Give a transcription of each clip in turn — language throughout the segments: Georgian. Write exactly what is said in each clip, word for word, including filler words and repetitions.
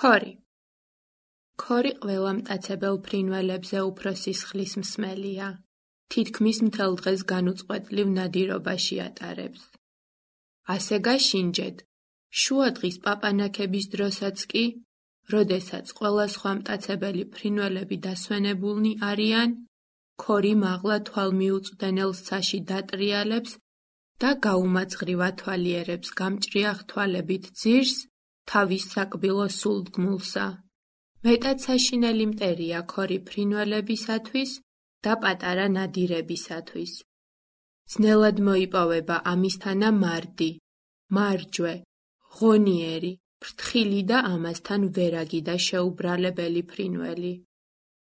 ქორი. ქორი ყველა მტაცებელ ფრინველებზე უფრო სისხლის მსმელია. თითქმის მთელ დღეს განუწყვეტლივ ნადირობაში ატარებს. ასე გაშინჯეთ, შუადღის პაპანაქების დროსაც კი, როდესაც ყველა სხვა მტაცებელი ფრინველები დასვენებულნი არიან, ქორი მაღლა თვალმიუწვდენელ საში დატრიალებს და გაუმაძღრივ ათვალიერებს გამჭრიახ თვალებით ძირს თავის საკბილო სულდგმულსა. მეტად საშინელი მტერია ქორი ფრინველებისათვის და პატარა ნადირებისათვის. ძნელად მოიპოვება ამისთანა მარდი, მარჯვე, ღონიერი, ფრთხილი და ამასთან ვერაგი და შეუბრალებელი ფრინველი.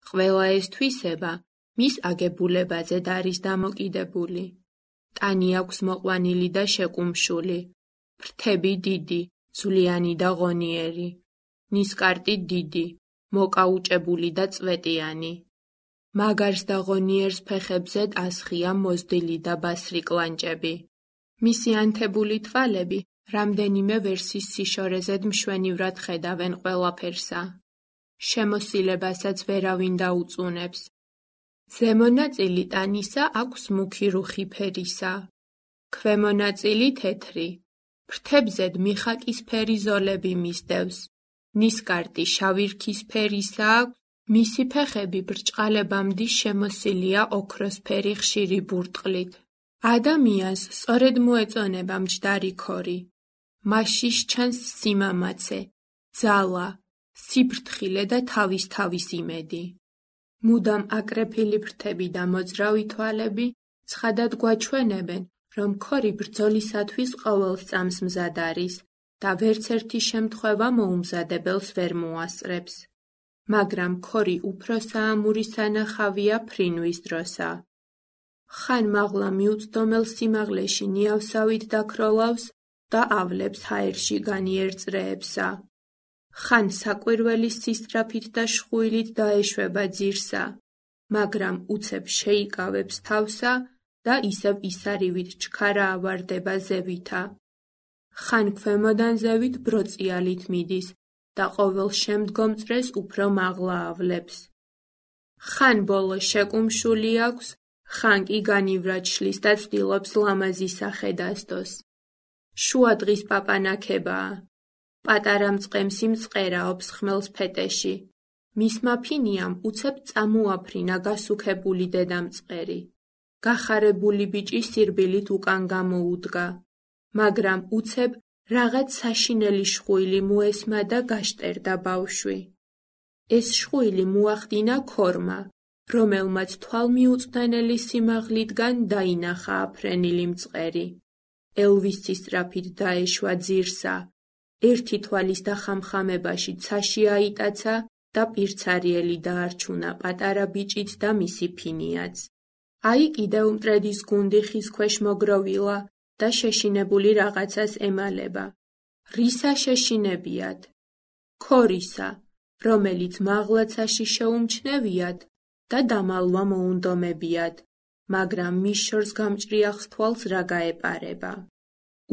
ყველა ეს თვისება მის აგებულებაზედ არის დამოკიდებული. ტანი აქვს მოყვანილი და შეკუმშული, ფრთები დიდი, ძვლიანი და ღონიერი, ნისკარტი დიდი, მოკაუჭებული და წვეტიანი. მაგარს და ღონიერს ფეხებზედ ასხია მოზრდილი და ბასრი კლანჭები. მისი ანთებული თვალები რამდენიმე ვერსის სიშორეზედ მშვენივრად ხედავენ ყველაფერსა. შემოსილებასაც ვერავინ დაუწუნებს. ზემო ნაწილი ტანისა აქვს მუქი რუხი ფერისა, ქვემო ნაწილი თეთრი. ფრთებზედ მიხაკისფერი ზოლები მისდევს. ნისკარტი შავი რქის ფერისა აქვს, მისი ფეხები ბრჭყალებამდე შემოსილია ოქროსფერი ხშირი ბურტყლით. ადამიანს სწორედ მოეწონება მჯდარი ქორი. მასში სჩანს სიმამაცე, ძალა, სიფრთხილე და თავის-თავის იმედი. მუდამ აკრეფილი ფრთები და მოძრავი თვალები ცხადად გვაჩვენებენ, რომ ქორი ბრძოლისათვის ყოველ წამს მზად არის და ვერცერთი შემთხვევა მოუმზადებელს ვერ მოასწრებს. მაგრამ ქორი უფრო საამური სანახავია ფრინვის დროსა. ხან მაღლა მიუწვდომელ სიმაღლეში ნიავსავით დაქროლავს და ავლებს ჰაერში განიერწრეებსა. ხან საკვირველის სისწრაფით და შხუილით დაეშვება ძირსა, მაგრამ უცებ შეიკავებს თავსა და ისევ ისარივით ჩქარა ავარდება ზევითა. ხან ქვემოდან ზევით ბროწიალით მიდის და ყოველ შემდგომ წრეს უფრო მაღლა ავლებს. ხან ბოლო შეკუმშული აქვს, ხან კი განივრად შლის და ცდილობს ლამაზი სახე დასდოს. შუადღის პაპანაქებაა. პატარა მწყემსი მწყერაობს ხმელს ფეტეში. მისმა ფინიამ უცებ წამოაფრინა გასუქებული დედამწყერი. გახარებული ბიჭი სირბილით უკან გამოუდგა. მაგრამ უცებ რაღაც საშინელი შხუილი მოესმა და გაშტერდა ბავშვი. ეს შხუილი მოახდინა ქორმა, რომელმაც თვალმიუწვდენელი სიმაღლითგან დაინახა აფრენილი მწყერი. ელვის სისწრაფით დაეშვა ძირსა. ერთი თვალის დახამხამებაში ცაში აიტაცა და პირცარიელი დაარჩუნა პატარა ბიჭით და მისი ფინიაც. აი კიდევ მტრედის გუნდი ხის ქვეშ მოგროვილა და შეშინებული რაღაცას ემალება. რისა შეშინებიათ? ქორისა, რომელიც მაღლაცაში შეუმჩნევიათ და დამალვა მოუნდომებიათ, მაგრამ მის შორს გამჭრიახ თვალს რა გაეპარება.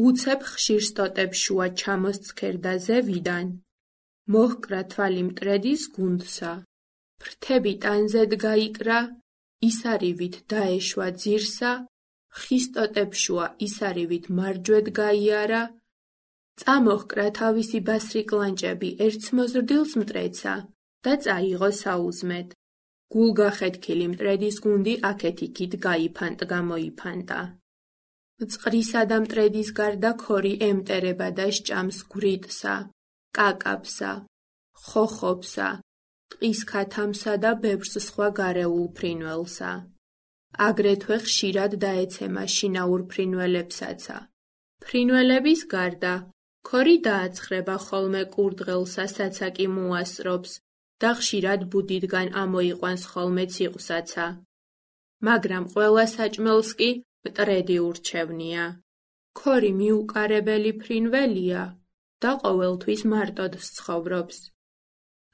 უცებ ხშირ სტოტებს შუა ჩამოსცქერდა ზევიდან, მოჰკრა თვალი მტრედის გუნდსა. ფრთები ტანზედ გაიკრა, ისარივით დაეშვა ძირსა, ხის სტოტებს შუა ისარივით მარჯვედ გაიარა, წამოჰკრა თავისი ბასრი კლანჭები ერთს მოზრდილს მტრედსა და წაიღო საუზმედ. გულგახეთქილი მტრედის გუნდი აქეთ-იქით გაიფანტ-გამოიფანტა. მწყრისა და მტრედის გარდა ქორი ემტერება და სჭამს გვრიტსა, კაკაბსა, ხოხობსა, ტყის ქათამსა და ბევრს სხვა გარეულ ფრინველსა. აგრეთვე ხშირად დაეცემა შინაურ ფრინველებსაცა. ფრინველების გარდა ქორი დააცხრება ხოლმე კურდღელსა, საცაკი მოასწრობს და ხშირად ბუდიდგან ამოიყვანს ხოლმე ციყვსაცა. მაგრამ ყველა საჭმელს კი მტრედი ურჩევნია. ქორი მიუყარებელი ფრინველია და ყოველთვის მარტოდ ცხოვრობს.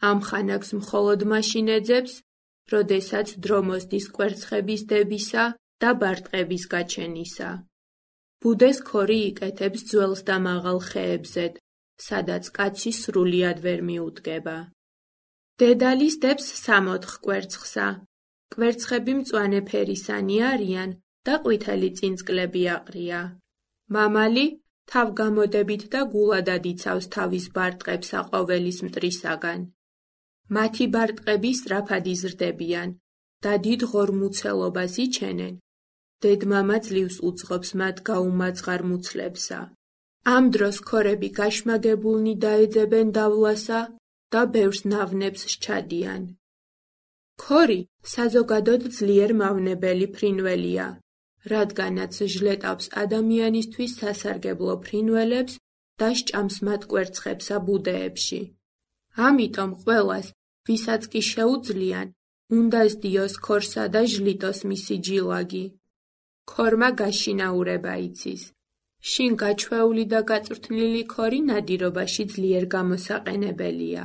ამ ხანაკს მხოლოდ მაშინ ეძებს, როდესაც დრო მოსდის კვერცხების დებისა და ბარტყების გაჩენისა. ბუდეს ქორი იკეთებს ძველს და მაღალ ხეებზედ, სადაც კაცი სრულიად ვერ მიუდგება. დედალის დებს სამოთხ კვერცხსა. კვერცხები მწვანე ფერისანი არიან და ყვითელი წინწკლები აყრია. მამალი თავგამოდებით და გულადად იცავს თავის ბარტყებსა ყოველის მტრისაგან. მათი ბარტყები სწრაფად იზრდებიან და დიდ ღორმუცელობას იჩენენ. დედმამა ძლივს უძღობს მათ გაუმაძღარ მუცლებსა. ამ დროს ქორები გაშმაგებულნი დაეძებენ დავლასა და ბევრს ნავნებს სჩადიან. ქორი საზოგადოდ ძლიერ მავნებელი ფრინველია, რადგანაც ჟლეტავს ადამიანისთვის სასარგებლო ფრინველებს და სჭამს მათ კვერცხებსა ბუდეებში. ამიტომ ყველას, ვისაც კი შეუძლიან, უნდა სდიოს ქორსა და ჟლიტოს მისი ჯილაგი. ქორმა გაშინაურება იცის. შინ გაჩვეული და გაწვრთნილი ქორი ნადირობაში ძლიერ გამოსაყენებელია.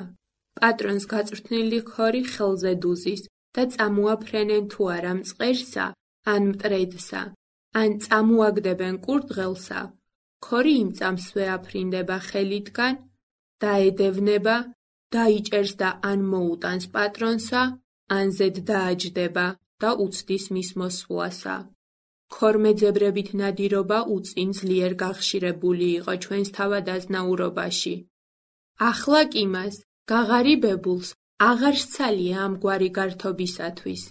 პატრონს გაწვრთნილი ქორი ხელზე დუზის და წამოაფრენენ თუ არა მწყერსა, ან მტრედსა, ან წამოაგდებენ კურდღელსა, ქორი იმ წამს ვეაფრინდება ხელიდან, დაედევნება, დაიჭერს და ან მოუტანს პატრონსა, ან ზედ დააჯდება და უცდის მის მოსვლასა. ქორმეძებრებით ნადირობა უწინ ძლიერ გახშირებული იყო ჩვენს თავადაზნაურობაში. ახლა კი მას, გაღარიბებულს, აღარ სცალია ამგვარი გართობისათვის.